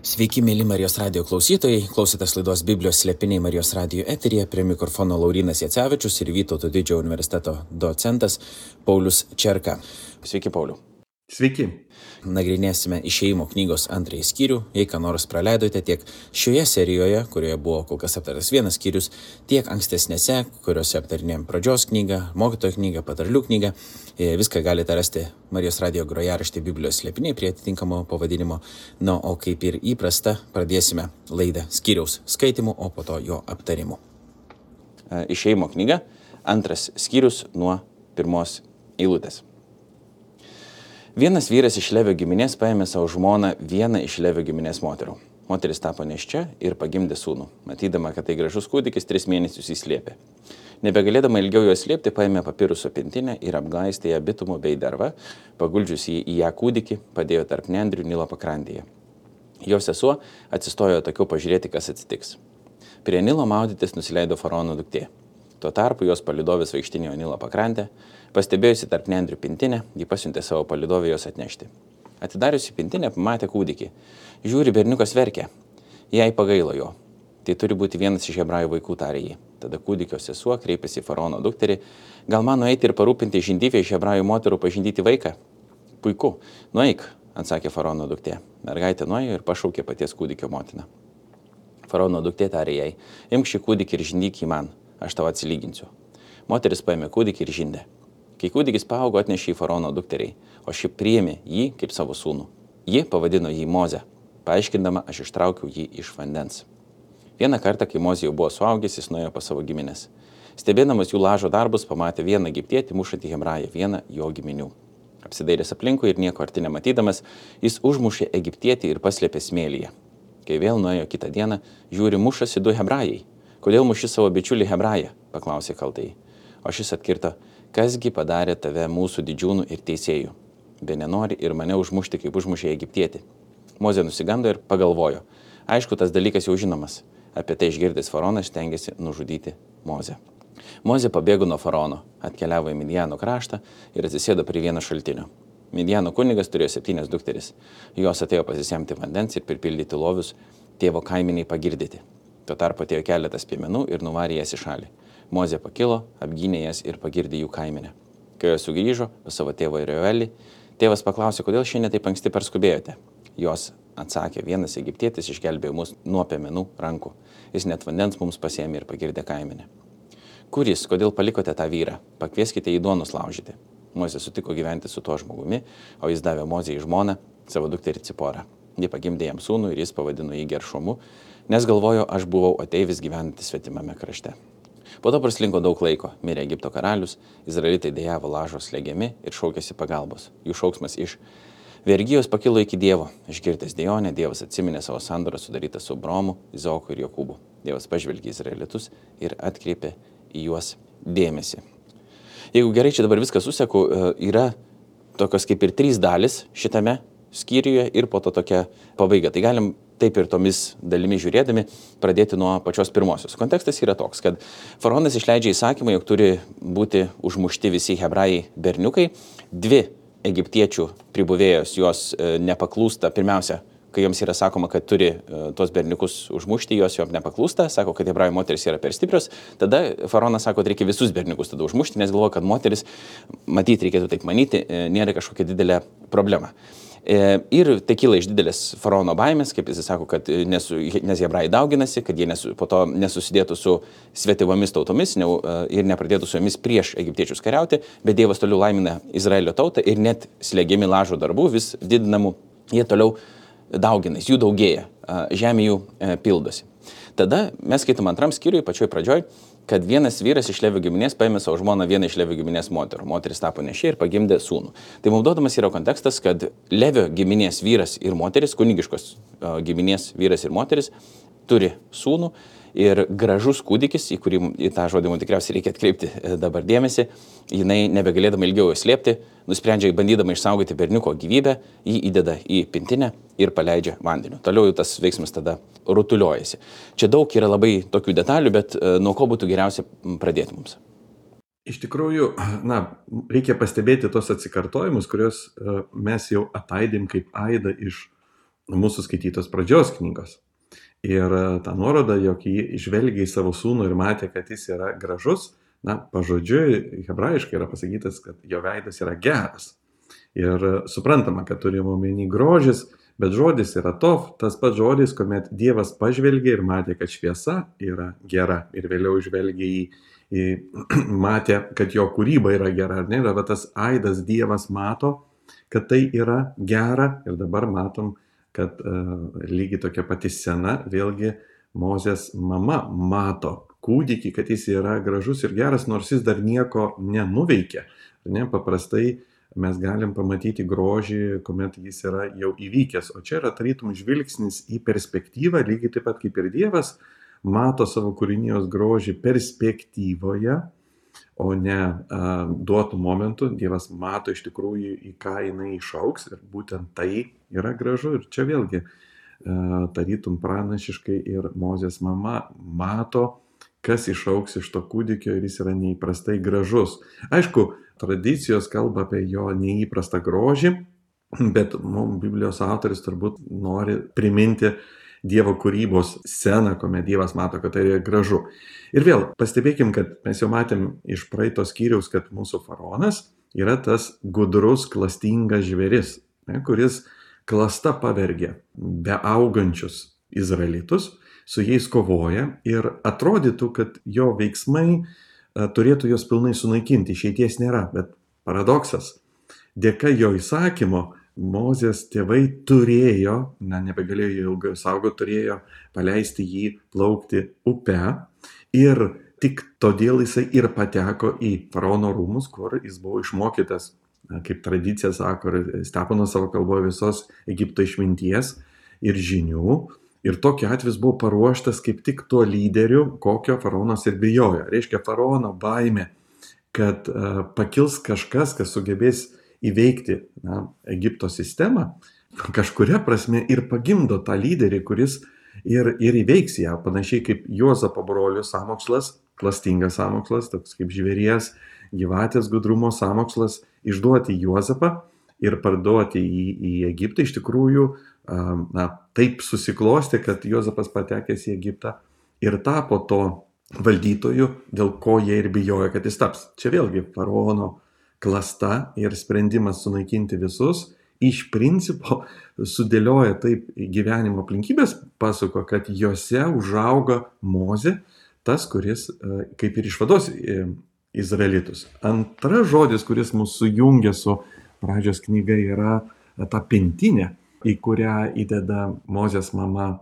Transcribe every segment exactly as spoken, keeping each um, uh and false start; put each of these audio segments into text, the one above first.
Sveiki, mėly Marijos radijo klausytojai. Klausotės laidos Biblijos slėpiniai Marijos radijo eteryje. Prie mikrofono Laurynas Jacevičius ir Vytauto Didžiojo universiteto docentas Paulius Čerka. Sveiki, Pauliu. Sveiki. Nagrinėsime Išėjimo knygos antrąjį skyrių. Jei ką nors praleidote tiek šioje serijoje, kurioje buvo kol kas aptartas vienas skyrius, tiek ankstesnėse, kuriuose aptarinėjom pradžios knygą, mokytojo knygą, patarlių knygą, viską galite rasti Marijos radijo grojaraštyje Biblijos slėpiniai prie atitinkamo pavadinimo. Na, o kaip ir įprasta, pradėsime laidą skyriaus skaitimu, o po to jo aptarimu. Išėjimo knyga, antras skyrius nuo pirmos eilutės. Vienas vyras iš Levio giminės paėmė savo žmoną vieną iš Levio giminės moterų. Moteris tapo nėščia ir pagimdė sūnų. Matydama, kad tai gražus kūdikis, tris mėnesius įslėpė. Nebegalėdama ilgiau jo slėpti, paėmė papiruso pintinę ir apglaistė ją bitumu bei derva, paguldžius jį į ją kūdikį, padėjo tarp nendrių Nilo pakrantėje. Jo sesuo atsistojo atokiau pažiūrėti, kas atsitiks. Prie Nilo maudytis nusileido faraono duktė. Tuo tarpu jos palydovės vaikštinėjo Nilo pakrantę. Pastebėjusi tarp nendrių pintinę, ji pasiuntė savo palydovę jos atnešti. Atidariusi pintinę, pamatė kūdikį. Žiūri, berniukas verkia. Jai pagailo jo. Tai turi būti vienas iš hebrajų vaikų, tarė ji. Tada kūdikio sesuo kreipėsi į faraono dukterį. Gal man nueiti ir parūpinti žindyvę iš hebrajų moterų pažindyti vaiką? Puiku, nueik, atsakė faraono duktė. Mergaitė nuėjo ir pašaukė paties kūdikio motiną. Faraono duktė tarė jai, imk šį kūdikį ir žindyk jį man, aš tau atsilyginsiu. Moteris paėmė kūdikį ir žindė. Kai kūdikis paaugo, atnešė į faraono dukteriai, o ši priėmė jį kaip savo sūnų. Ji pavadino jį Mozę, paaiškindama, aš ištraukiau jį iš vandens. Vieną kartą, kai Mozė jau buvo suaugęs, jis nuėjo pas savo giminės. Stebėdamas jų lažo darbus, pamatė vieną egiptietį mušantį hebrają, vieną jo giminių. Apsidairęs aplinkui ir nieko arti nematydamas, jis užmušė egiptietį ir paslėpė smėlyje. Kai vėl nuėjo kitą dieną, žiūri, mušasi du hebrajai. Kodėl muši savo bičiulį hebrają? Paklausė kaltai. O šis atkirto, kasgi padarė tave mūsų didžiūnų ir teisėjų? Be nenori ir mane užmušti, kaip užmušė egiptietį. Mozė nusigando ir pagalvojo. Aišku, tas dalykas jau žinomas. Apie tai išgirdęs faraonas stengėsi nužudyti Mozę. Mozė pabėgo nuo faraono, atkeliavo į Midjano kraštą ir atsisėdo prie vieno šaltinio. Midjano kunigas turėjo septynias dukteris. Jos atėjo pasisemti vandens ir pripildyti lovius tėvo kaiminiai pagirdyti. Tuo tarpu atėjo keletas piemenų ir nuvarė jas į šalį. Mozė pakilo, apgynė jas ir pagirdė jų kaimenę. Kai jos sugrįžo pas savo tėvą Reuelį, tėvas paklausė, kodėl šiandien taip anksti parskubėjote. Jos atsakė, vienas egiptietis išgelbėjo mus nuo piemenų rankų. Jis net vandens mums pasėmė ir pagirdė kaimenę. Kuris, kodėl palikote tą vyrą? Pakvieskite jį duonos laužyti. Mozė sutiko gyventi su tuo žmogumi, o jis davė Mozei į žmoną savo dukterį Ciporą. Ji pagimdė jam sūnų ir jis pavadino jį Geršomu, nes galvojo, aš buvau ateivis gyvenantis svetimame krašte. Po to praslinko daug laiko, mirė Egipto karalius, izraelitai dejavo lažo slegiami ir šaukėsi pagalbos. Jų šauksmas iš vergijos pakilo iki Dievo. Išgirdęs dejonę, Dievas atsiminė savo sandorą sudarytą su Abraomu, Izaoku ir Jokūbu. Dievas pažvelgė izraelitus ir atkreipė į juos dėmesį. Jeigu gerai čia dabar viską suseku, yra tokios kaip ir trys dalis šitame skyriuje ir po to tokia pabaiga. Tai galim taip ir tomis dalimi žiūrėdami pradėti nuo pačios pirmosios. Kontekstas yra toks, kad faraonas išleidžia įsakymą, jog turi būti užmušti visi hebrajai berniukai. Dvi egiptiečių pribuvėjos jos e, nepaklūsta. Pirmiausia, kai joms yra sakoma, kad turi e, tuos berniukus užmušti, jos jom nepaklūsta, sako, kad hebrajų moteris yra per stiprios. Tada faraonas sako, kad reikia visus berniukus tada užmušti, nes galvoja, kad moteris, matyti reikėtų taip manyti, e, nėra kažkokia didelė problema. Ir tai kyla iš didelės faraono baimės, kaip jis sako, kad nesu, nes hebrajai dauginasi, kad jie nesu, po to nesusidėtų su svetivomis tautomis ne, ir nepradėtų su jomis prieš egiptiečius kariauti, bet Dievas toliau laimina Izraelio tautą ir net slegiami lažo darbų vis didinamų, jie toliau dauginasi, jų daugėja, žemė jų pildosi. Tada mes skaitom antram skyriui, pačioj pradžioj, kad vienas vyras iš Levio giminės paėmė savo žmoną vieną iš Levio giminės moterų. Moteris tapo nėščia ir pagimdė sūnų. Tai mums duodamas yra kontekstas, kad Levio giminės vyras ir moteris, kunigiškos uh, giminės vyras ir moteris, turi sūnų ir gražus kūdikis, į kurį į tą žodį mums tikriausiai reikia atkreipti dabar dėmesį, jinai nebegalėdama ilgiau slėpti, nusprendžia bandydama išsaugoti berniuko gyvybę, jį įdeda į pintinę ir paleidžia vandeniu. Toliau tas veiksmas tada rutuliojasi. Čia daug yra labai tokių detalių, bet nuo ko būtų geriausia pradėti mums? Iš tikrųjų, na, reikia pastebėti tos atsikartojimus, kuriuos mes jau ataidėm kaip aidą iš mūsų skaitytos pradžios knygos. Ir ta nuoroda, jog jį žvelgia į savo sūnų ir matė, kad jis yra gražus, na, pažodžiui, hebrajiškai yra pasakytas, kad jo veidas yra geras. Ir suprantama, kad turime omeny grožis, bet žodis yra tov, tas pats žodis, kuomet Dievas pažvelgė ir matė, kad šviesa yra gera. Ir vėliau žvelgė į, į matė, kad jo kūryba yra gera. Ar ne? Ir tas aidas Dievas mato, kad tai yra gera. Ir dabar matom, kad uh, lygiai tokia pati scena, vėlgi Mozės mama mato kūdikį, kad jis yra gražus ir geras, nors jis dar nieko nenuveikė. Ne? Paprastai mes galim pamatyti grožį, kuomet jis yra jau įvykęs. O čia yra tarytum žvilgsnis į perspektyvą, lygiai taip pat kaip ir Dievas mato savo kūrinijos grožį perspektyvoje, o ne a, duotų momentų. Dievas mato iš tikrųjų, į ką jinai išaugs ir būtent tai yra gražu. Ir čia vėlgi a, tarytum pranašiškai ir Mozės mama mato, kas išaugs iš to kūdikio ir jis yra neįprastai gražus. Aišku, tradicijos kalba apie jo neįprastą grožį, bet mums Biblijos autoris turbūt nori priminti Dievo kūrybos sceną, kuomet Dievas mato, kad tai yra gražu. Ir vėl pastebėkim, kad mes jau matėm iš praeito skyriaus, kad mūsų faraonas yra tas gudrus, klastingas žvėris, ne, kuris klasta pavergia beaugančius izraelitus, su jais kovoja ir atrodytų, kad jo veiksmai turėtų jos pilnai sunaikinti, išeities nėra, bet paradoksas. Dėka jo įsakymo Mozės tėvai turėjo, na, nebegalėjo ilgai saugoti, turėjo paleisti jį plaukti upe ir tik todėl jisai ir pateko į faraono rūmus, kur jis buvo išmokytas, na, kaip tradicija sako, Steponas savo kalboje visos Egipto išminties ir žinių. Ir tokiu atveju buvo paruoštas kaip tik tuo lyderiu, kokio faraonas ir bijojo. Reiškia, faraono baimė, kad uh, pakils kažkas, kas sugebės įveikti, na, Egipto sistemą, kažkuria prasme ir pagimdo tą lyderį, kuris ir, ir įveiks ją, panašiai kaip Juozapo brolių sąmokslas, klastingas sąmokslas, toks kaip žvėries, gyvatės gudrumo sąmokslas, išduoti Juozapą ir parduoti į, į Egiptą. Iš tikrųjų, na, taip susiklosti, kad Juozapas patekęs į Egiptą ir tapo to valdytoju, dėl ko jie ir bijojo, kad jis taps. Čia vėlgi faraono klasta ir sprendimas sunaikinti visus, iš principo sudėlioja taip gyvenimo aplinkybės, pasuko, kad juose užauga Mozė, tas, kuris kaip ir išvados izraelitus. Antras žodis, kuris mus sujungia su pradžios knyga, yra ta pintinė, į kurią įdeda Mozės mama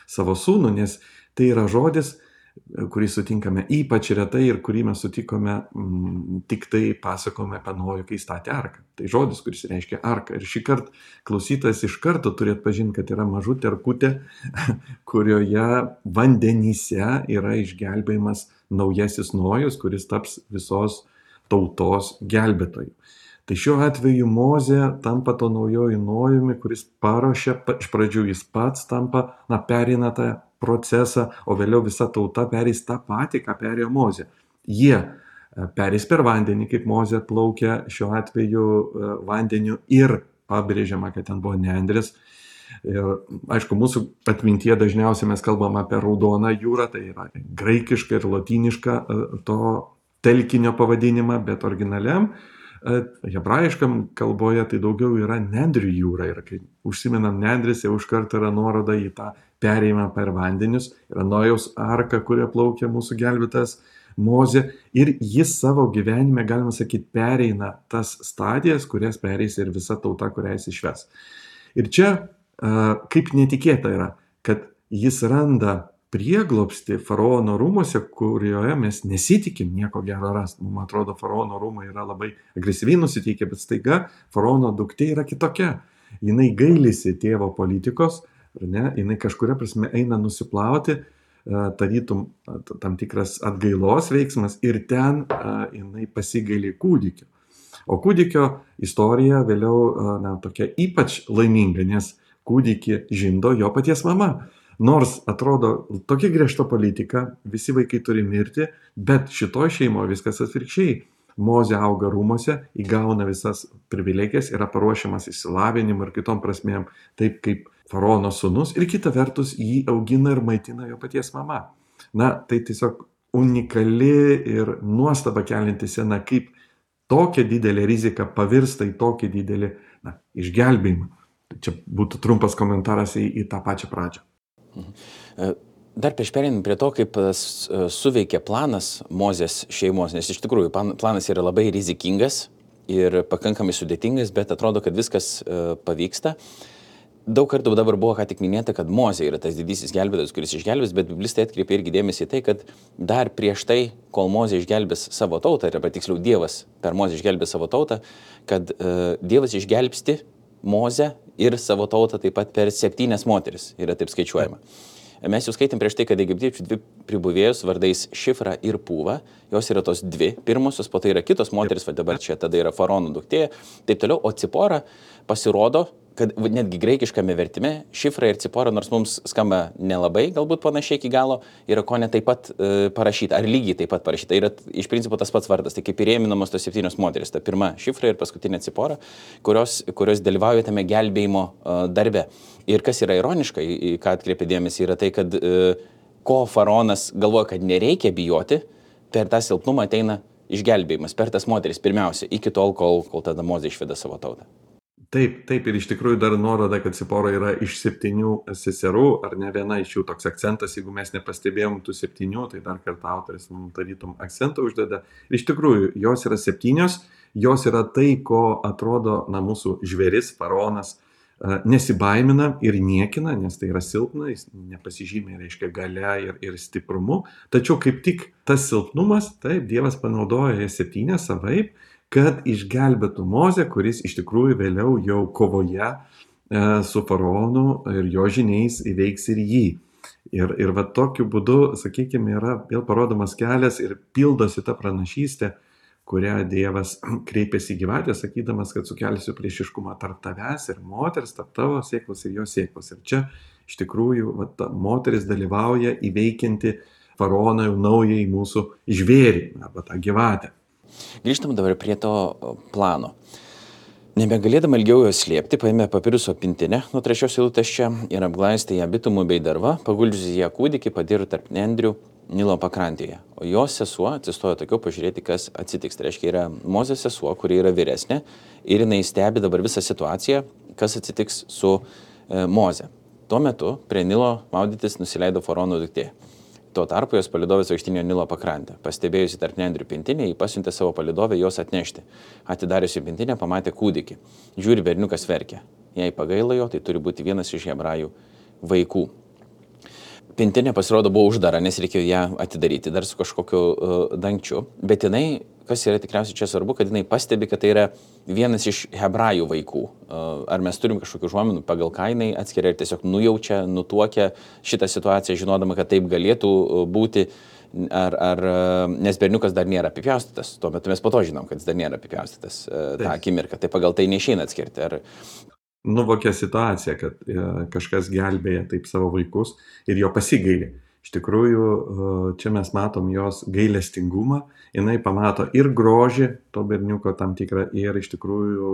savo sūnų, nes tai yra žodis, kurį sutinkame ypač retai ir kurį mes sutikome m, tik tai pasakome apie Nojų, kai statė arką. Tai žodis, kuris reiškia arką. Ir šį kartą klausytojas iš karto turėtų pažinti, kad yra mažutė erkutė, kurioje vandenyse yra išgelbėjimas naujasis Nojus, kuris taps visos tautos gelbėtoju. Tai šiuo atveju Mozė tampa to naujoju Nojumi, kuris paruošia, iš pradžių jis pats tampa, na, perina tą procesą, o vėliau visa tauta perės tą patį, ką perėjo Mozė. Jie perės per vandenį, kaip Mozė plaukia šiuo atveju vandeniu ir pabrėžiama, kad ten buvo nendrės. Ir aišku, mūsų atmintyje dažniausiai mes kalbam apie Raudoną jūrą, tai yra graikiška ir lotyniška to telkinio pavadinimą, bet originaliam hebrajiškam kalboje tai daugiau yra Nendrių jūra. Ir kai užsimenam Nendris, jau iš karto yra nuoroda į tą perėjimą per vandenius. Yra Nojaus arka, kuria plaukia mūsų gelbėtas Mozė. Ir jis savo gyvenime, galima sakyti, pereina tas stadijas, kurias pereis ir visa tauta, kurią jis išves. Ir čia kaip netikėta yra, kad jis randa prieglobstį faraono rūmuose, kurioje mes nesitikim nieko gero rasti. Mums atrodo, faraono rūmai yra labai agresyviai nusiteikę, bet staiga faraono duktė yra kitokia. Jinai gailisi tėvo politikos, ne? Jinai kažkuria prasme eina nusiplauti, tarytum tam tikras atgailos veiksmas ir ten jinai pasigaili kūdikio. O kūdikio istorija vėliau, na, tokia ypač laiminga, nes kūdikį žindo jo paties mama. Nors atrodo tokia griežta politika, visi vaikai turi mirti, bet šitoj šeimoje viskas atvirkščiai. Mozė auga rūmose, įgauna visas privilegijas, yra paruošiamas išsilavinimui ir kitom prasmėm, taip kaip faraono sūnus ir kita vertus jį augina ir maitina jo paties mama. Na, tai tiesiog unikali ir nuostaba kelinti scena, kaip tokia didelė rizika pavirsta į tokį didelį na, išgelbėjimą. Čia būtų trumpas komentaras į, į tą pačią pradžią. Mhm. Dar prieš pereinant prie to, kaip suveikė planas Mozės šeimos, nes iš tikrųjų planas yra labai rizikingas ir pakankamai sudėtingas, bet atrodo, kad viskas pavyksta. Daug kartų dabar buvo ką tik minėta, kad Mozė yra tas didysis gelbėtojas, kuris išgelbės, bet biblistai atkreipia irgi dėmesį į tai, kad dar prieš tai, kol Mozė išgelbės savo tautą, arba tiksliau Dievas per Mozę išgelbės savo tautą, kad uh, Dievas išgelbsti Mozę ir savo tautą taip pat per septynias moteris, yra taip skaičiuojama. Mes jau skaitėm prieš tai, kad egiptiečių dvi pribuvėjus vardais Šifra ir Pūva, jos yra tos dvi pirmosios, po tai yra kitos moteris, va dabar čia tada yra faraono duktė, taip toliau, o Cipora pasirodo, kad netgi graikiškame vertime Šifra ir Cipora, nors mums skamba nelabai, galbūt panašiai iki galo, yra ko ne taip pat e, parašyta, ar lygiai taip pat parašyta, yra iš principo tas pats vardas, tai kaip ir ėminamos tos septynios moteris, ta pirma Šifra ir paskutinė Cipora, kurios, kurios dalyvauja tame gelbėjimo e, darbe. Ir kas yra ironiška, į ką atkreipia dėmesį, yra tai, kad e, ko faraonas galvoja, kad nereikia bijoti, per tą silpnumą ateina išgelbėjimas, per tas moteris pirmiausia, iki tol, kol, kol tada Mozė išveda savo tautą. Taip, taip, ir iš tikrųjų dar nuoroda, kad Cipora yra iš septynių seserų, ar ne viena iš jų toks akcentas, jeigu mes nepastebėjom tų septynių, tai dar kartą autoris mums tarytum akcentą uždeda. Ir iš tikrųjų, jos yra septynios, jos yra tai, ko atrodo, na, mūsų žvėris, faraonas, nesibaimina ir niekina, nes tai yra silpna, jis nepasižymė, reiškia, galia ir, ir stiprumu. Tačiau kaip tik tas silpnumas, taip, Dievas panaudoja septynės savaip, kad išgelbėtų Mozę, kuris iš tikrųjų vėliau jau kovoje e, su faraonu ir jo žiniais įveiks ir jį. Ir, ir va tokiu būdu, sakykime, yra vėl parodomas kelias ir pildosi ta pranašystė, kurią Dievas kreipėsi į gyvatę, sakydamas, kad sukelsiu priešiškumą tarp tavęs ir moters, tarp tavo sėklos ir jo sėklos. Ir čia iš tikrųjų va, ta moteris dalyvauja įveikianti faraoną jau naujai mūsų žvėrį, arba tą gyvatę. Grįžtam dabar prie to plano. Nebegalėdama ilgiau jos slėpti, paėmė papiruso pintinę nuo trečios eilutės čia ir apglaistė ją bitumu bei derva, paguldžiusi ją kūdikį padiro tarp nendrių Nilo pakrantėje. O jos sesuo atsistojo tokiau pažiūrėti, kas atsitiks. Tai reiškia, yra Mozės sesuo, kuri yra vyresnė ir jinai stebi dabar visą situaciją, kas atsitiks su e, Moze. Tuo metu prie Nilo maudytis nusileido faraono duktė. Tuo tarpu jos palidovės vaikštinėjo Nilo pakrantę. Pastebėjusi tarp nendrių pintinę, jį pasiuntė savo palidovę jos atnešti. Atidariusi pintinę, pamatė kūdikį. Žiūri, berniukas verkia. Jei pagaila jo, tai turi būti vienas iš hebrajų vaikų. Pintinė pasirodo buvo uždara, nes reikėjo ją atidaryti dar su kažkokiu uh, dangčiu. Bet jinai, kas yra tikriausiai čia svarbu, kad jinai pastebi, kad tai yra vienas iš hebrajų vaikų. Uh, ar mes turim kažkokių užuominų, pagal ką jinai atskiria ir tiesiog nujaučia, nutuokia šitą situaciją, žinodama, kad taip galėtų būti, ar, ar, nes berniukas dar nėra apipjaustytas. Tuo metu mes po to žinom, kad jis dar nėra apipjaustytas uh, tą akimirką. Tai pagal tai neišeina atskirti. Ar nuvokia situaciją, kad e, kažkas gelbėja taip savo vaikus ir jo pasigailė. Iš tikrųjų, e, čia mes matom jos gailestingumą, jinai pamato ir grožį to berniuko tam tikrą ir iš tikrųjų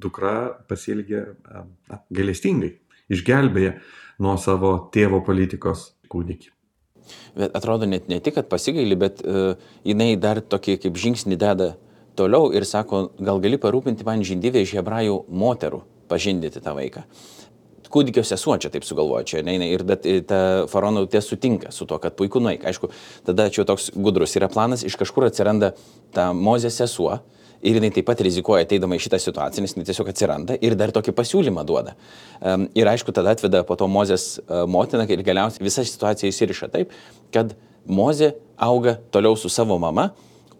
dukra pasielgė e, gailestingai, išgelbėja nuo savo tėvo politikos kūdikį. Bet atrodo net ne tik, kad pasigailė, bet uh, jinai dar tokį kaip žingsnį deda toliau ir sako, gal gali parūpinti man žindivę iš hebrajų moterų pažindyti tą vaiką. Kūdikio sesuo čia taip sugalvoja, čia ne, ir bet ta faraono duktė sutinka su to, kad puiku nueik. Aišku, tada čia toks gudrus yra planas, iš kažkur atsiranda ta Mozės sesuo ir jinai taip pat rizikuoja ateidama į šitą situaciją, nes jinai tiesiog atsiranda ir dar tokį pasiūlymą duoda. Um, ir aišku, tada atveda po to Mozės uh, motiną ir galiausiai visa situacija įsiriša taip, kad Mozė auga toliau su savo mama,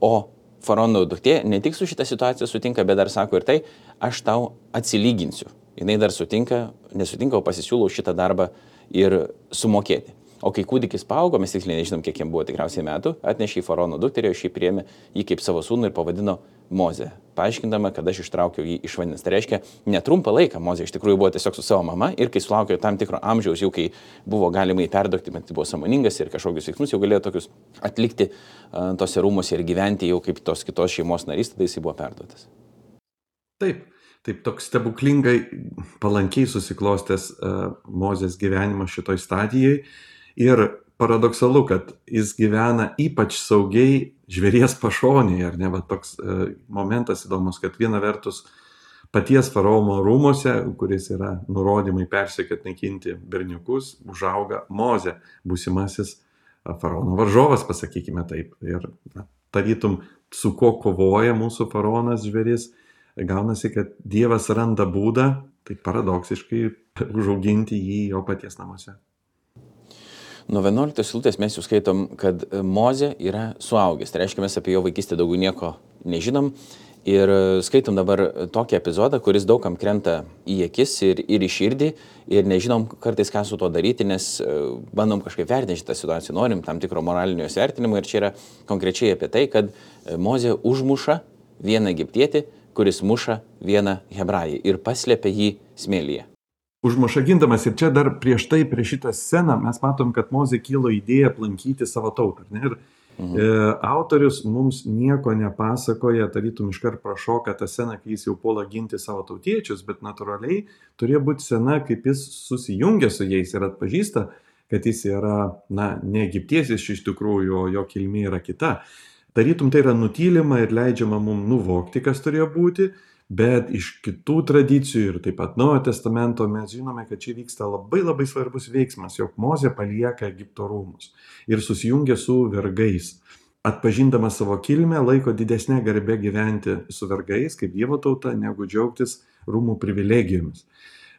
o faraono duktė ne tik su šitą situaciją sutinka, bet dar sako ir tai, aš tau atsilyginsiu. Jinai dar sutinka, nesutinka, o pasisiūlau šitą darbą ir sumokėti. O kai kūdikis paaugo, mes tiksliai nežinom, kiek jam buvo tikriausiai metų, atnešė į faraono dukterį, šį priėmė jį kaip savo sūnų ir pavadino Mozė, paaiškindama, kad aš ištraukiau jį iš vandens. Tai reiškia, netrumpą laiką Mozė iš tikrųjų buvo tiesiog su savo mama ir kai sulaukė tam tikro amžiaus, jau kai buvo galima įperdokti, bet buvo sąmoningas ir kažkokius veiksmus jau galėjo tokius atlikti uh, tose rūmose ir gyventi jau kaip tos kitos šeimos narys, tada jis buvo perduotas. Taip, Taip toks stebuklingai palankiai susiklostęs uh, Mozės gyvenimas šitoj stadijai ir paradoksalu, kad jis gyvena ypač saugiai žvėries pašonėje, ar ne, va toks uh, momentas įdomus, kad viena vertus paties faraono rūmose, kuris yra nurodymai persekiot naikinti berniukus, užauga Mozė, būsimasis faraono varžovas, pasakykime taip. Ir na, tarytum, su ko kovoja mūsų faraonas žvėris, gaunasi, kad Dievas randa būdą, tai paradoksiškai, užauginti jį jo paties namuose. Nuo vienuoliktos eilutės mes jau skaitom, kad Mozė yra suaugęs. Tai reiškia, mes apie jo vaikystę daugiau nieko nežinom. Ir skaitom dabar tokį epizodą, kuris daugam krenta į akis ir, ir į širdį. Ir nežinom kartais, ką su to daryti, nes bandom kažkaip vertinti šitą situaciją. Norim tam tikro moralinio įvertinimo. Ir čia yra konkrečiai apie tai, kad Mozė užmuša vieną egiptietį, kuris muša vieną hebrajį ir paslėpia jį smėlyje. Užmuša gindamas, ir čia dar prieš tai, prieš šitą sceną, mes matom, kad Mozė kilo idėja aplankyti savo tautą. Ne? Ir mhm. e, autorius mums nieko nepasakoja, tarytum iškart prašoka tą sceną, kai jis jau puola ginti savo tautiečius, bet natūraliai turėjo būti scena, kaip jis susijungia su jais ir atpažįsta, kad jis yra, na, ne egiptietis iš tikrųjų, jo kilmė yra kita. Tarytum tai yra nutylima ir leidžiama mums nuvokti, kas turėjo būti, bet iš kitų tradicijų ir taip pat Naujojo testamento mes žinome, kad čia vyksta labai labai svarbus veiksmas, jog Mozė palieka Egipto rūmus ir susijungia su vergais. Atpažindamas savo kilmę, laiko didesnė garbė gyventi su vergais, kaip Dievo tauta, negu džiaugtis rūmų privilegijomis.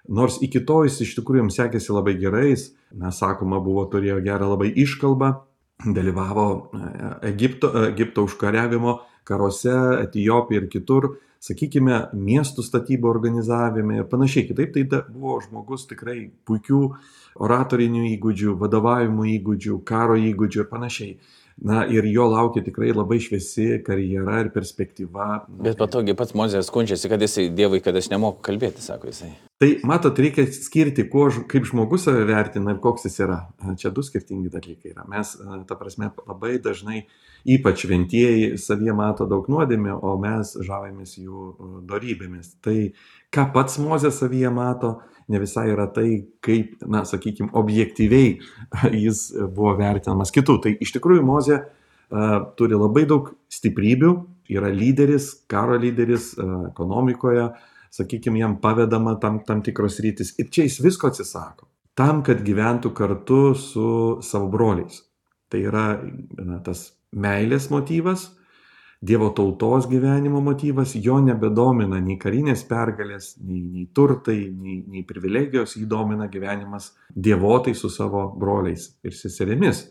Nors iki to jis iš tikrųjų jums sekėsi labai gerais, mes sakoma, buvo turėjo gerą labai iškalbą, dalyvavo Egipto, Egipto užkariavimo karuose, Etijopijoje ir kitur, sakykime, miestų statybų organizavime ir panašiai. Kitaip tai buvo žmogus tikrai puikių oratorinių įgūdžių, vadovavimo įgūdžių, karo įgūdžių ir panašiai. Na ir jo laukia tikrai labai šviesi karjera ir perspektyva. Bet patogiai pats Mozė skundžiasi, kad jisai Dievui, kad aš nemoku kalbėti, sako jisai. Tai matot, reikia skirti, kuo, kaip žmogus save vertina ir koks jis yra. Čia du skirtingi dalykai yra. Mes, ta prasme, labai dažnai, ypač šventieji, savyje mato daug nuodėmių, o mes žavimės jų dorybėmis. Tai ką pats Mozė savyje mato, ne visai yra tai, kaip, na, sakykime, objektyviai jis buvo vertinamas kitų. Tai iš tikrųjų Mozė uh, turi labai daug stiprybių, yra lyderis, karo lyderis uh, ekonomikoje, sakykime, jam pavedama tam, tam tikros rytis. Ir čia jis visko atsisako, tam, kad gyventų kartu su savo broliais. Tai yra na, tas meilės motyvas, Dievo tautos gyvenimo motyvas, jo nebedomina nei karinės pergalės, nei, nei turtai, nei, nei privilegijos, jį domina gyvenimas dievotai su savo broliais ir seserimis.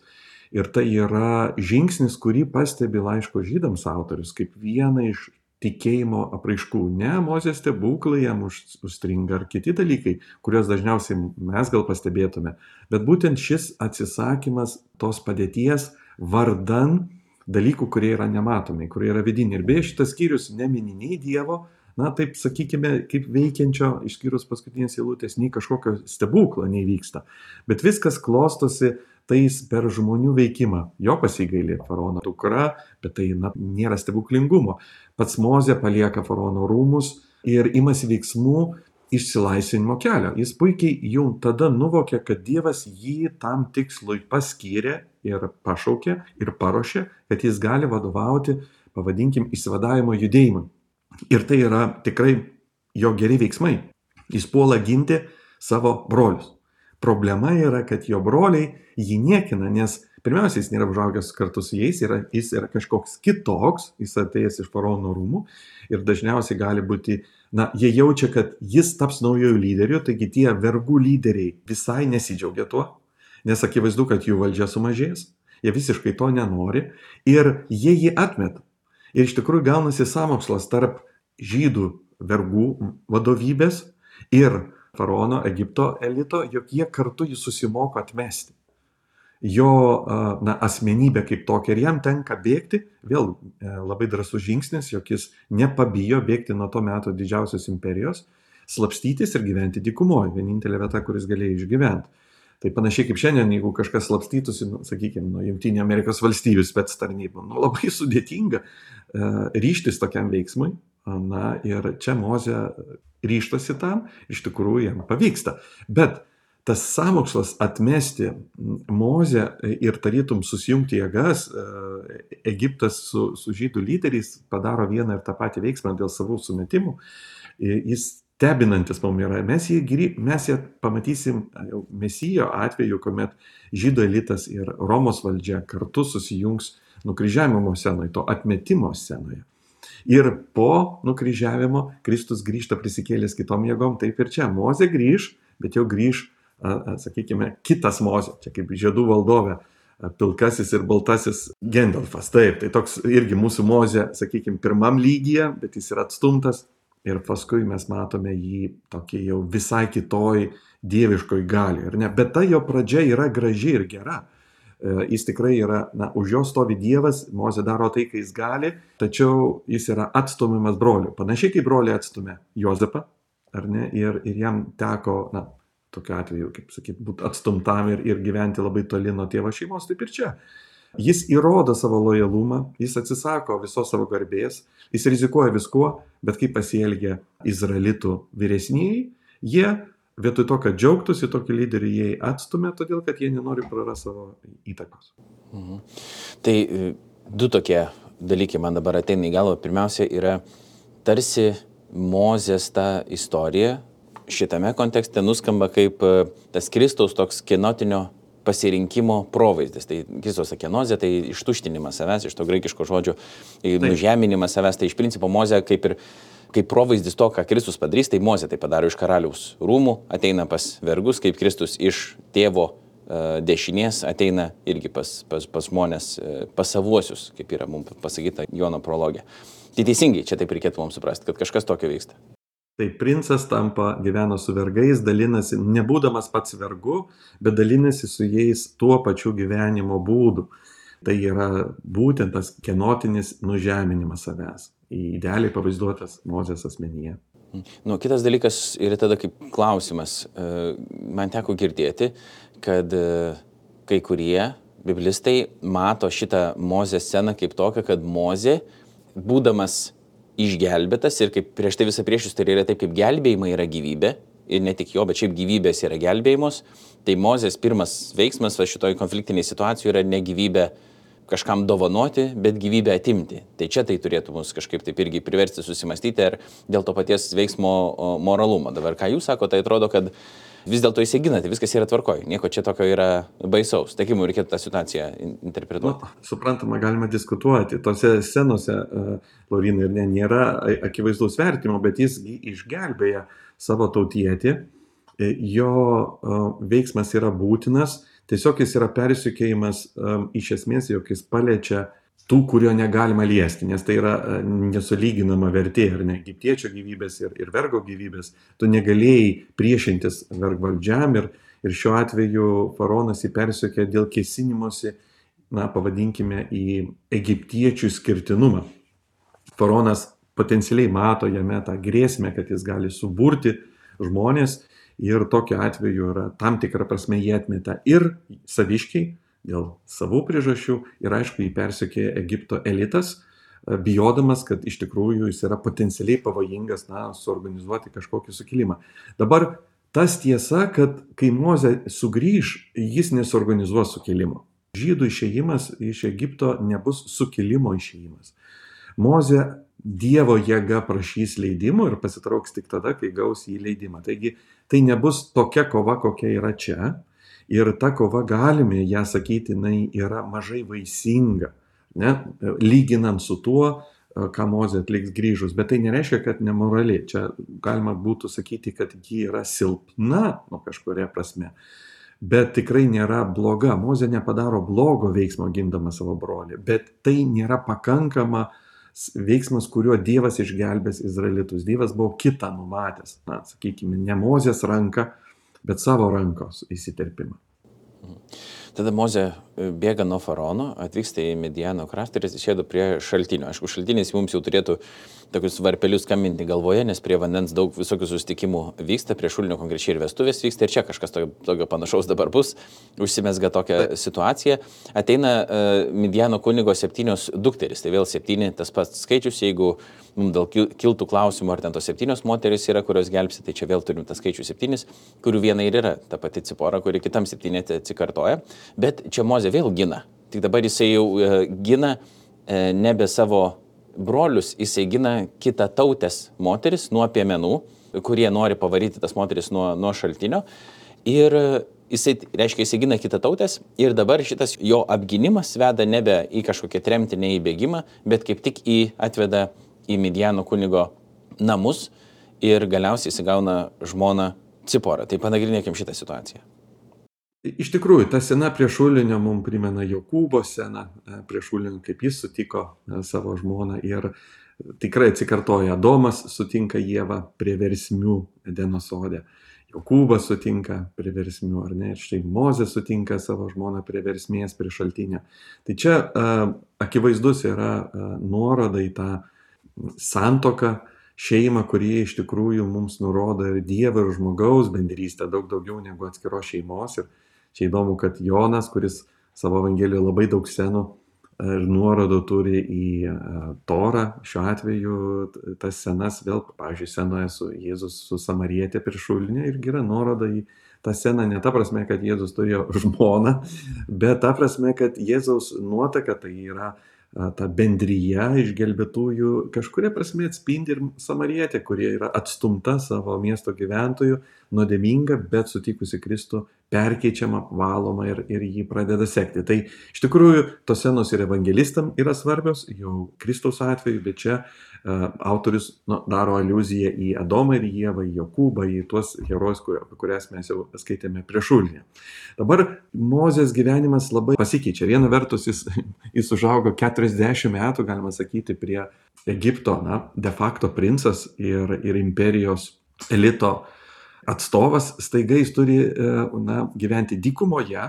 Ir tai yra žingsnis, kurį pastebi laiško žydams autorius, kaip vieną iš tikėjimo apraiškų. Ne Mozės stebuklai jam užstringa ar kiti dalykai, kuriuos dažniausiai mes gal pastebėtume, bet būtent šis atsisakymas tos padėties vardan dalykų, kurie yra nematomi, kurie yra vidiniai. Ir beje, šitas skyrius nemini nei Dievo, na taip sakykime, kaip veikiančio, išskyrus paskutinės eilutės, nei kažkokio stebuklo neįvyksta. Bet viskas klostosi tais per žmonių veikimą. Jo pasigailė faraono dukra, bet tai na, nėra stebuklingumo. Pats Mozė palieka faraono rūmus ir imasi veiksmų išsilaisvinimo kelio. Jis puikiai jau tada nuvokė, kad Dievas jį tam tikslui paskyrė ir pašaukė ir paruošė, kad jis gali vadovauti, pavadinkim, išsivadavimo judėjimui. Ir tai yra tikrai jo geri veiksmai. Jis puola ginti savo brolius. Problema yra, kad jo broliai jį niekina, nes pirmiausia, jis nėra užaugęs kartu su jais, yra, jis yra kažkoks kitoks, jis atėjęs iš faraono rūmų ir dažniausiai gali būti, na, jie jaučia, kad jis taps naujojų lyderių, taigi tie vergų lyderiai visai nesidžiaugia tuo, nes akivaizdu, kad jų valdžia sumažės, jie visiškai to nenori ir jie jį atmeta. Ir iš tikrųjų gaunasi sąmokslas tarp žydų vergų vadovybės ir faraono Egipto elito, jog jie kartu jį susimoko atmesti. Jo na, asmenybė kaip tokia ir jam tenka bėgti, vėl labai drąsus žingsnis, jog jis nepabijo bėgti nuo to meto didžiausios imperijos, slapstytis ir gyventi dykumoje, vienintelė vieta, kuris galėjo išgyventi. Tai panašiai kaip šiandien, jeigu kažkas slapstytųsi, nu, sakykime, nuo Jungtinių Amerikos valstijų spec tarnybų, nu, labai sudėtinga uh, ryžtis tokiam veiksmui, Na ir čia Mozė ryžtasi tam, iš tikrųjų jam pavyksta. Bet tas sąmokslas atmesti Mozę ir tarytum susijungti jėgas, Egiptas su, su žydų lyderiais padaro vieną ir tą patį veiksmą dėl savų sumetimų, jis stebinantis mums yra. Mes jį, mes jį pamatysim jau Mesijo atveju, kuomet žydų elitas ir Romos valdžia kartu susijungs nukryžiavimo scenoje, to atmetimo scenoje. Ir po nukryžiavimo Kristus grįžta prisikėlęs kitom jėgom, taip ir čia. Mozė grįž, bet jau grįž, sakykime, kitas Mozė, čia kaip žiedų valdovė, pilkasis ir baltasis Gendalfas. Taip, tai toks irgi mūsų Mozė, sakykime, pirmam lygyje, bet jis yra atstumtas. Ir paskui mes matome jį tokį jau visai kitoj dieviškoj gali. Bet ta jo pradžia yra graži ir gera. Jis tikrai yra, na, už jo stovi Dievas, Mozė daro tai, ką jis gali, tačiau jis yra atstumiamas brolių. Panašiai kaip broliai atstumė Jozapą, ar ne, ir, ir jam teko, na, tokiu atveju, kaip sakyti, būti atstumtam ir, ir gyventi labai toli nuo tėvo šeimos, taip ir čia. Jis įrodo savo lojalumą, jis atsisako visos savo garbės, jis rizikuoja viskuo, bet kaip pasielgia izraelitų vyresnieji, jie vietoj to, kad džiaugtųsi tokį lyderį, jie atstumė, todėl kad jie nenori prarasti savo įtakos. Mhm. Tai du tokie dalykai man dabar ateina į galvą. Pirmiausia yra tarsi Mozės ta istorija šitame kontekste nuskamba kaip tas Kristaus toks kenotinio pasirinkimo provaizdis. Tai Kristos akenozė, tai ištuštinimas savęs, iš to graikiško žodžio nužeminimas savęs, tai iš principo Mozė kaip ir kaip provaizdis to, ką Kristus padarys, tai Mozė tai padaro iš karaliaus rūmų, ateina pas vergus, kaip Kristus iš tėvo uh, dešinės ateina irgi pas, pas, pas žmonės, uh, pas savuosius, kaip yra mums pasakyta Jono prologė. Tai teisingai, čia taip reikėtų mums suprasti, kad kažkas tokio vyksta. Tai princas tampa, gyvena su vergais, dalinasi, nebūdamas pats vergu, bet dalinasi su jais tuo pačiu gyvenimo būdu. Tai yra būtent tas kenotinis nužeminimas savęs, idealiai pavaizduotas Mozės asmenyje. Nu, kitas dalykas yra tada kaip klausimas. Man teko girdėti, kad kai kurie biblistai mato šitą Mozės sceną kaip tokią, kad Mozė, būdamas išgelbėtas ir kaip prieš tai visą priešus, tai yra taip, kaip gelbėjimai yra gyvybė, ir ne tik jo, bet šiaip gyvybės yra gelbėjimos, tai Mozės pirmas veiksmas va šitoj konfliktiniai situacijai yra ne gyvybė kažkam dovanoti, bet gyvybę atimti. Tai čia tai turėtų mus kažkaip taip irgi priversti susimastyti ir dėl to paties veiksmo moralumo. Dabar, ką jūs sakote, tai atrodo, kad vis dėlto įsiginate, viskas yra tvarkoj, nieko čia tokio yra baisaus. Tai kaip mums reikėtų tą situaciją interpretuoti? Nu, suprantama, galima diskutuoti. Tose scenose, Laurinai, ir ne, nėra akivaizdaus vertimo, bet jis išgelbėja savo tautietį, jo veiksmas yra būtinas. Tiesiog jis yra persikėjimas um, iš esmės, jog jis paliečia tų, kurio negalima liesti, nes tai yra uh, nesulyginama vertė, ar ne, egiptiečio gyvybės ir, ir vergo gyvybės. Tu negalėjai priešintis vergvaldžiam ir, ir šiuo atveju faraonas jį persikė dėl kėsinimosi, na, pavadinkime, į egiptiečių skirtinumą. Faraonas potencialiai mato jame tą grėsmę, kad jis gali suburti žmonės. Ir tokiu atveju yra tam tikrą prasme jie atmeta ir saviškiai dėl savų priežasčių ir aišku jį persekioja Egipto elitas, bijodamas, kad iš tikrųjų jis yra potencialiai pavojingas, na, suorganizuoti kažkokį sukilimą. Dabar tas tiesa, kad kai Mozė sugrįž, jis nesuorganizuos sukilimo. Žydų išėjimas iš Egipto nebus sukilimo išėjimas. Mozė Dievo jėga prašys leidimo ir pasitrauks tik tada, kai gaus jį leidimą. Taigi tai nebus tokia kova, kokia yra čia. Ir ta kova, galime ją sakyti, jinai yra mažai vaisinga, ne? Lyginant su tuo, ką Mozė atliks grįžus. Bet tai nereiškia, kad nemorali. Čia galima būtų sakyti, kad ji yra silpna, nu kažkuria prasme. Bet tikrai nėra bloga. Mozė nepadaro blogo veiksmo gindama savo brolį. Bet tai nėra pakankama veiksmas, kuriuo Dievas išgelbės izraelitus. Dievas buvo kitą numatęs, na, sakykime, ne Mozės ranką, bet savo rankos įsiterpimą. Tada Mozė bėga nuo faraono, atvyksta į Midiano kraštą ir atsisėdo prie šaltinio. Aišku, šaltinis mums jau turėtų tokius varpelius skambinti galvoje, nes prie vandens daug visokių susitikimų vyksta, prie šulinio konkrečiai ir vestuvės vyksta ir čia kažkas tokio, tokio panašaus dabar bus, užsimesga tokia situacija. Ateina uh, Midiano kunigo septynios dukterys, tai vėl septyni tas pats skaičius, jeigu mums dėl kiltų klausimų, ar ten tos septynios moteris yra, kurios gelbsi, tai čia vėl turim tą skaičių septynis, kurių viena ir yra ta pati Cipora, kuri kitam septynėte atsikartoja, bet čia Mozė vėl gina. Tik dabar jisai jau e, gina e, nebe savo brolius, jisai gina kitą tautės moteris nuo piemenų, kurie nori pavaryti tas moteris nuo, nuo šaltinio. Ir jisai, reiškia, jisai gina kitą tautės ir dabar šitas jo apginimas veda nebe į kažkokią tremtį, ne į bėgimą, bet kaip tik į atveda į Midjano kunigo namus ir galiausiai įsigauna žmoną Ciporą. Tai panagrinėkim šitą situaciją. Iš tikrųjų, ta scena prie šulinio mums primena Jokūbo sceną, prie šulinio, kaip jis sutiko savo žmoną ir tikrai atsikartoja. Adomas sutinka Ievą prie versmių Edeno sode. Jokūbas sutinka prie versmių, ar ne? Ir štai Mozė sutinka savo žmoną prie versmės, prie šaltinio. Tai čia uh, akivaizdus yra uh, nuoroda į tą santuoką, šeimą, kurie iš tikrųjų mums nurodo ir Dievo ir žmogaus bendrystę daug daugiau negu atskiros šeimos. Ir čia įdomu, kad Jonas, kuris savo Evangelijoje labai daug scenų ir nuorodų turi į Torą, šiuo atveju tas scenas vėl, pavyzdžiui, scenoje su Jėzus su Samarietė prie šulinio irgi yra nuoroda į tą sceną, ne ta prasme, kad Jėzus turėjo žmoną, bet ta prasme, kad Jėzaus nuotaka tai yra ta bendryje išgelbėtųjų kažkuria prasme atspindi ir Samarietė, kurie yra atstumta savo miesto gyventojų, nuodėminga, bet sutikusi Kristų, perkeičiama, valoma ir, ir jį pradeda sekti. Tai iš tikrųjų tos scenos ir evangelistam yra svarbios, jau Kristaus atveju, bet čia uh, autorius nu, daro aliuziją į Adomą ir Ievą, į Jokūbą, į tuos herojus, kur, apie kurias mes jau skaitėme prie šulinio. Dabar Mozės gyvenimas labai pasikeičia. Viena vertus jis, jis užaugo keturiasdešimt metų, galima sakyti, prie Egipto, na, de facto princas ir, ir imperijos elito atstovas, staiga jis turi na, gyventi dykumoje,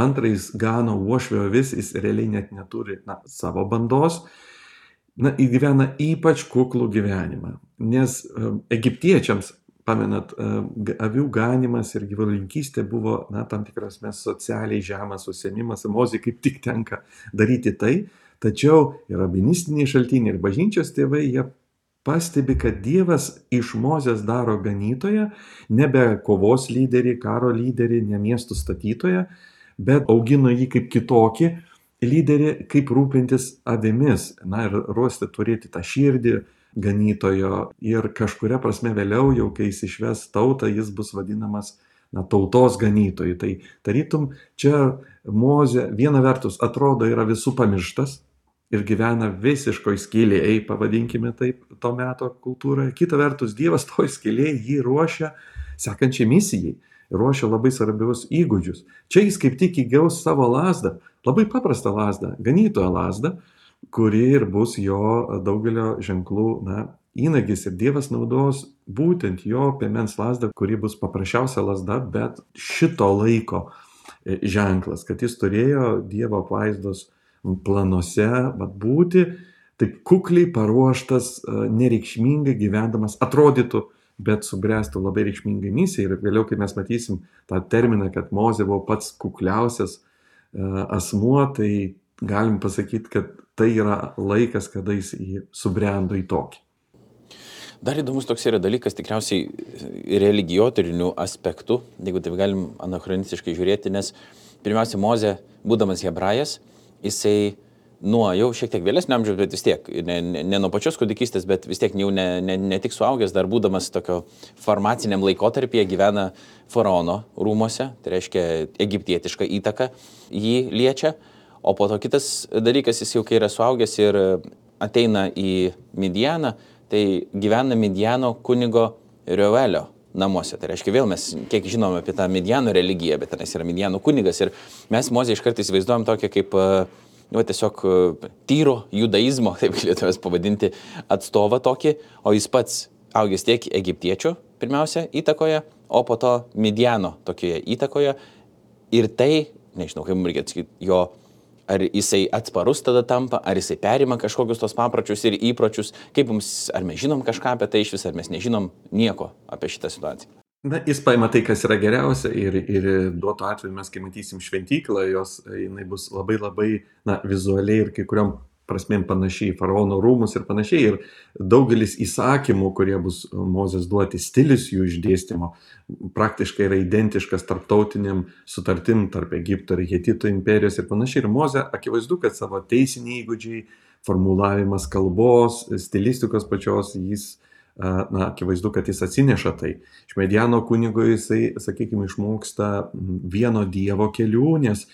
antrais gano uošvio avis, jis realiai net neturi na, savo bandos, na, jis gyvena ypač kuklų gyvenimą, nes egiptiečiams, pamenat, avių ganimas ir gyvulininkystė buvo na, tam tikras mes socialiai žemas užsiėmimas, Mozei kaip tik tenka daryti tai, tačiau ir rabinistiniai šaltiniai ir bažnyčios tėvai, jie pastebi, kad Dievas iš Mozės daro ganytoją, nebe kovos lyderį, karo lyderį, ne miestų statytoją, bet augino jį kaip kitokį lyderį, kaip rūpintis avimis, na ir ruosti turėti tą širdį ganytojo ir kažkuria prasme vėliau, jau kai jis išves tautą, jis bus vadinamas na, tautos ganytojų. Tai tarytum čia Mozė viena vertus atrodo yra visų pamirštas, ir gyvena visiškoj skylėje, pavadinkime taip, to meto kultūroje. Kita vertus, Dievas toj skylėje jį ruošia sekančiai misijai, ruošia labai svarbius įgūdžius. Čia jis kaip tik įgaus savo lazdą, labai paprastą lazdą, ganytojo lazdą, kuri ir bus jo daugelio ženklų na, įnagis. Ir Dievas naudos būtent jo piemens lazdą, kuri bus paprasčiausia lazda, bet šito laiko ženklas, kad jis turėjo Dievo apvaizdos planuose vat, būti taip kukliai paruoštas, nereikšmingai gyvendamas, atrodytų, bet subręstų labai reikšmingai misijai. Ir vėliau, kai mes matysim tą terminą, kad Mozė buvo pats kukliausias asmuo, tai galim pasakyti, kad tai yra laikas, kada jis subrendo į tokį. Dar įdomus toks yra dalykas, tikriausiai religijoturinių aspektų, jeigu taip galim anachronistiškai žiūrėti, nes pirmiausia, Mozė, būdamas hebrajas, jisai nuo jau šiek tiek vėlesnio amžiaus, bet vis tiek, ne, ne, ne nuo pačios kūdikystės, bet vis tiek jau ne, ne, ne tik suaugęs, dar būdamas tokio farmaciniam laikotarpyje gyvena faraono rūmose, tai reiškia egiptietiška įtaka jį liečia, o po to kitas dalykas, jis jau kai yra suaugęs ir ateina į Midjaną, tai gyvena Midjano kunigo Reuelio namuose. Tai reiškia, vėl mes kiek žinom apie tą Midjano religiją, bet tenais yra Midjano kunigas ir mes Mozę iš karto įsivaizduojam tokią kaip nu, tiesiog tyro judaizmo, taip galėtumės pavadinti, atstovą tokį, o jis pats augęs tiek egiptiečių pirmiausia įtakoje, o po to Midjano tokioje įtakoje ir tai, nežinau, kaip mums reikia atsakyti, jo ar jisai atsparus tada tampa, ar jisai perima kažkokius tos papročius ir įpročius, kaip mums, ar mes žinom kažką apie tai iš vis, ar mes nežinom nieko apie šitą situaciją. Na, jis paima tai, kas yra geriausia ir, ir duoto atveju mes, kai matysim šventyklą, jos, jinai bus labai labai na, vizualiai ir kai kuriom prasmėm panašiai į faraono rūmus ir panašiai. Ir daugelis įsakymų, kurie bus Mozės duoti, stilius jų išdėstymo, praktiškai yra identiškas tarptautiniam sutartim tarp Egipto ir Hetitų imperijos ir panašiai. Ir Mozė akivaizdu, kad savo teisiniai įgūdžiai, formulavimas kalbos, stilistikos pačios, jis, na, akivaizdu, kad jis atsineša tai. Iš Mediano kunigo jisai, sakykime, išmoksta vieno Dievo kelių, nes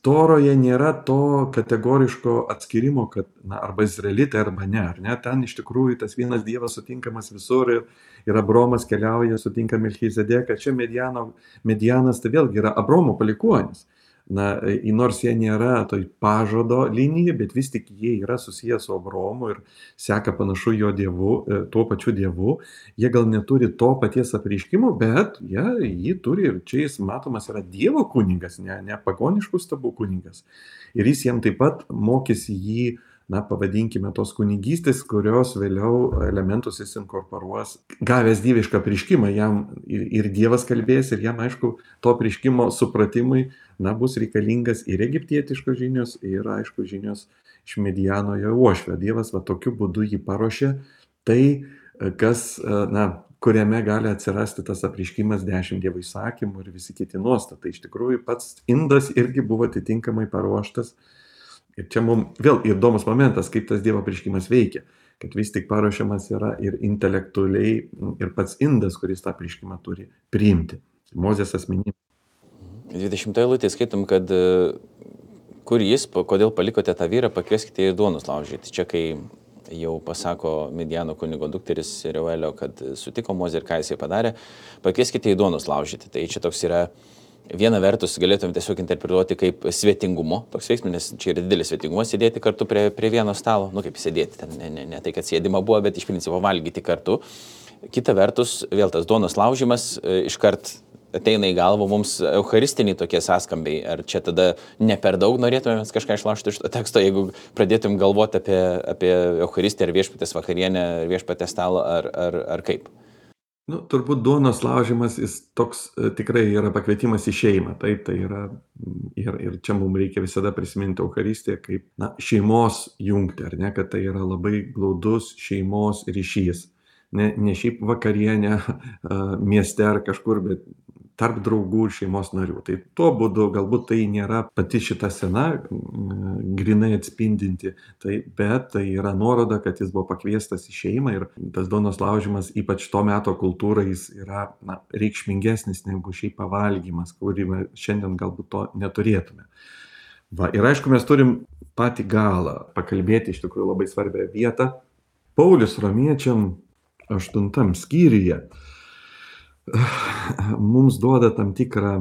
Toroje nėra to kategoriško atskirimo, kad na, arba izraelitai, arba ne, ar ne. Ten iš tikrųjų tas vienas Dievas sutinkamas visur ir, ir Abromas keliauja, sutinka Melchizedeką. Čia Mediano, Medianas tai vėlgi yra Abromo palikuonis. Na, nors jie nėra toj pažado linijai, bet vis tik jie yra susiję su Abromu ir seka panašu jo dievu, tuo pačiu dievu. Jie gal neturi to paties apreiškimo, bet jie jį turi ir čia jis matomas yra Dievo kunigas, ne, ne pagoniškų stabų kunigas. Ir jis jiem taip pat mokėsi jį, na, pavadinkime tos kunigystės, kurios vėliau elementus jis inkorporuos. Gavęs dievišką apreiškimą, jam ir, ir Dievas kalbės, ir jam, aišku, to apreiškimo supratimui, na, bus reikalingas ir egiptietiškos žinios, ir, aišku, žinios iš Medianoje uošvio. Dievas va tokiu būdu jį paruošė, tai, kas, na, kuriame gali atsirasti tas apreiškimas dešimt Dievo įsakymų ir visi kiti nuostatai. Iš tikrųjų, pats indas irgi buvo atitinkamai paruoštas. Ir čia mums vėl įdomus momentas, kaip tas Dievo apreiškimas veikia, kad vis tik paruošiamas yra ir intelektualiai, ir pats indas, kuris tą apreiškimą turi priimti. Mozės asmenybė. dvidešimtoje eilutėje skaitom, kad kur jis, kodėl palikote tą vyrą, pakvieskite ir duonos laužyti. Čia kai jau pasako Midiano kunigo dukteris Reuelio, kad sutiko Mozė ir ką jisai padarė, pakvieskite į duonos laužyti. Tai čia toks yra, viena vertus galėtume tiesiog interpretuoti kaip svetingumo toks veiksmas, nes čia yra didelis svetingumas sėdėti kartu prie, prie vieno stalo, nu kaip sėdėti, ten, ne, ne, ne tai, kad sėdima buvo, bet iš principo valgyti kartu. Kita vertus, vėl tas duonos laužimas iškart ateina į galvą mums eucharistiniai tokie sąskambiai. Ar čia tada ne per daug norėtume kažką išlaužti iš to teksto, jeigu pradėtum galvoti apie, apie eucharistiją ar viešpatės vakarienę, ar viešpatės stalą, ar, ar, ar kaip? Nu, turbūt duonos laužimas, jis toks tikrai yra pakvietimas į šeimą. Taip, tai yra, ir, ir čia mums reikia visada prisiminti eucharistiją kaip, na, šeimos jungti, ar ne, kad tai yra labai glaudus šeimos ryšys. Ne, ne šiaip vakarienė mieste ar kažkur, bet tarp draugų ir šeimos narių. Tai tuo būdu galbūt tai nėra pati šita scena grinai atspindinti, tai, bet tai yra nuoroda, kad jis buvo pakviestas į šeimą ir tas duonos laužimas, ypač to meto kultūrai, jis yra, na, reikšmingesnis negu šiaip pavalgymas, kurį šiandien galbūt to neturėtume. Va, ir aišku, mes turim patį galą pakalbėti iš tikrųjų labai svarbią vietą. Paulius Romiečiam aštuntam skyriuje mums duoda tam tikrą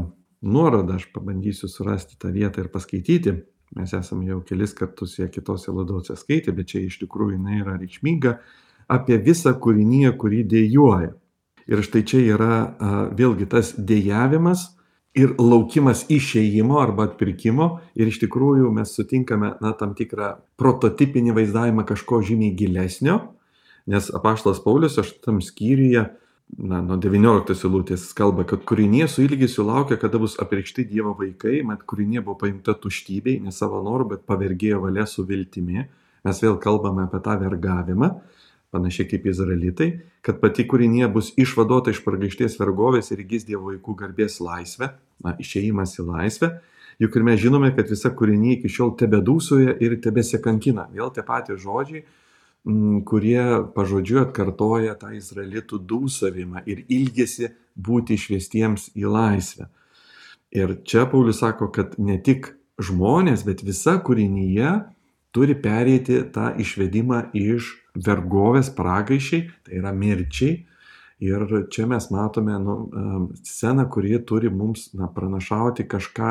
nuorodą, aš pabandysiu surasti tą vietą ir paskaityti. Mes esame jau kelis kartus ją kitose laidose skaitę, bet čia iš tikrųjų jinai yra reikšminga apie visą kūriniją, kurį dėjuoja. Ir štai čia yra a, vėlgi tas dėjavimas ir laukimas išėjimo arba atpirkimo. Ir iš tikrųjų mes sutinkame, na, tam tikrą prototipinį vaizdavimą kažko žymiai gilesnio, nes apaštalas Paulius aštuntam skyriuje, na, nuo devynioliktos eilutės kalba, kad kūrinė su ilgesiu laukia, kada bus apreikšti Dievo vaikai, mat kūrinė buvo paimta tuštybei, ne savo noru, bet pavergėjo valia su viltimi. Mes vėl kalbame apie tą vergavimą, panašiai kaip izraelitai, kad pati kūrinė bus išvaduota iš pragaišties vergovės ir įgis Dievo vaikų garbės laisvę, na, išėjimas į laisvę. Juk ir mes žinome, kad visa kūrinė iki šiol tebedūsauja ir tebesikankina. Vėl tie patys žodžiai, kurie pažodžiu atkartoja tą izraelitų dūsavimą ir ilgesi būti išvestiems į laisvę. Ir čia Paulius sako, kad ne tik žmonės, bet visa kūrinyje turi pereiti tą išvedimą iš vergovės pragaiščiai, tai yra mirčiai. Ir čia mes matome, nu, sceną, kurie turi mums, na, pranašauti kažką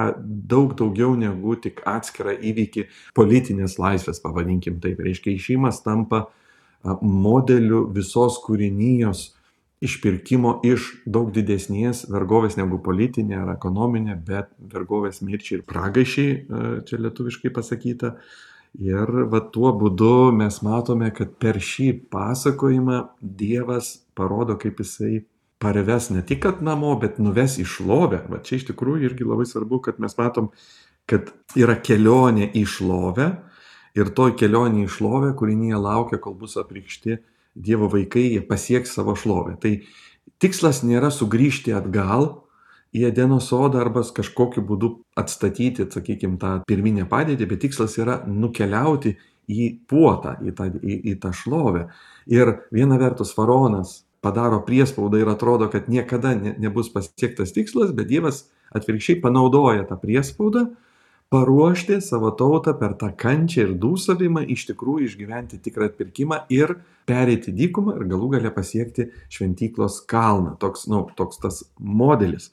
daug daugiau negu tik atskirą įvykį politinės laisvės, pavadinkim taip. Reiškia, išėjimas tampa modeliu visos kūrinijos išpirkimo iš daug didesnės vergovės negu politinė ar ekonominė, bet vergovės mirčiai ir pragaiščiai, čia lietuviškai pasakyta. Ir va tuo būdu mes matome, kad per šį pasakojimą Dievas parodo, kaip jisai parves ne tik kad namo, bet nuves į šlovę. Va čia iš tikrųjų irgi labai svarbu, kad mes matom, kad yra kelionė į šlovę ir toj kelionėje į šlovę, kūrinėje laukia, kol bus apreikšti Dievo vaikai, jie pasieks savo šlovę. Tai tikslas nėra sugrįžti atgal į Edeno sodą arba kažkokiu būdu atstatyti, sakykime, tą pirminę padėtį, bet tikslas yra nukeliauti į puotą, į tą, į, į tą šlovę. Ir viena vertus faraonas padaro priespaudą ir atrodo, kad niekada ne, nebus pasiektas tikslas, bet Dievas atvirkščiai panaudoja tą priespaudą, paruošti savo tautą per tą kančią ir dūsavimą, iš tikrųjų išgyventi tikrą atpirkimą ir pereiti dykumą ir galų gale pasiekti šventyklos kalną. Toks, nu, toks tas modelis.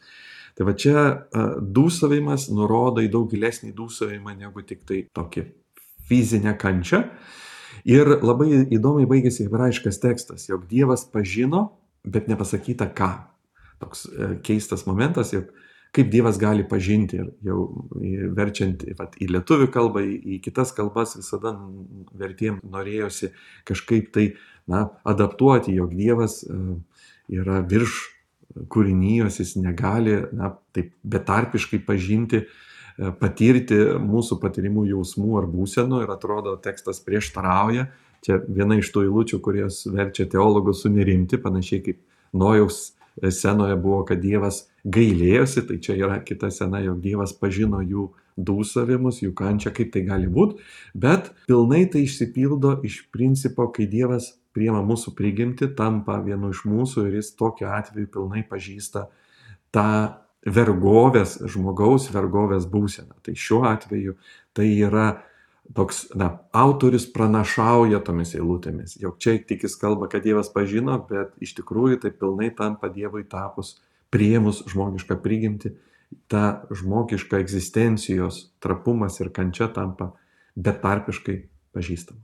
Tai va čia uh, dūsavimas nurodo į daug gilesnį dūsavimą negu tik tai tokį fizinę kančią. Ir labai įdomiai baigėsi hebrajiškas tekstas, jog Dievas pažino, bet nepasakyta ką. Toks uh, keistas momentas, jog kaip Dievas gali pažinti ir jau verčiant vat, į lietuvių kalbą, į, į kitas kalbas visada vertėjim norėjosi kažkaip tai na, adaptuoti, jog Dievas uh, yra virš kūrinijos, jis negali na, taip betarpiškai pažinti, uh, patirti mūsų patirimų jausmų ar būsenų ir atrodo tekstas prieštarauja. Čia viena iš tų eilučių, kurios verčia teologus sunerimti, panašiai kaip Nojaus scenoje buvo, kad Dievas gailėjosi, tai čia yra kita scena, jog Dievas pažino jų dūsavimus, jų kančią, kaip tai gali būti, bet pilnai tai išsipildo iš principo, kai Dievas priima mūsų prigimtį, tampa vienu iš mūsų ir jis tokiu atveju pilnai pažįsta tą vergovės, žmogaus vergovės būseną. Tai šiuo atveju tai yra toks, na, autorius pranašauja tomis eilutėmis, jog čia tik jis kalba, kad Dievas pažino, bet iš tikrųjų tai pilnai tampa Dievui tapus, priėmus žmogišką prigimtį, ta žmogiška egzistencijos trapumas ir kančia tampa betarpiškai pažįstama.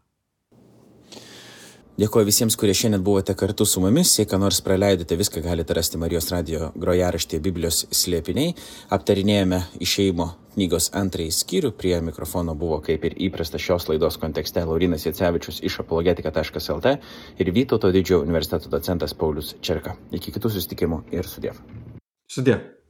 Dėkuoju visiems, kurie šiandien buvote kartu su mumis. Jei ką nors praleidote, viską galite rasti Marijos radijo grojaraštyje Biblijos slėpiniai. Aptarinėjome Išėjimo knygos antrąjį skyrių. Prie mikrofono buvo, kaip ir įprasta šios laidos kontekste, Laurynas Jacevičius iš apologetika taškas lt ir Vytauto Didžiojo universiteto docentas Paulius Čerka. Iki kitų susitikimų ir sudiev. Sudiev.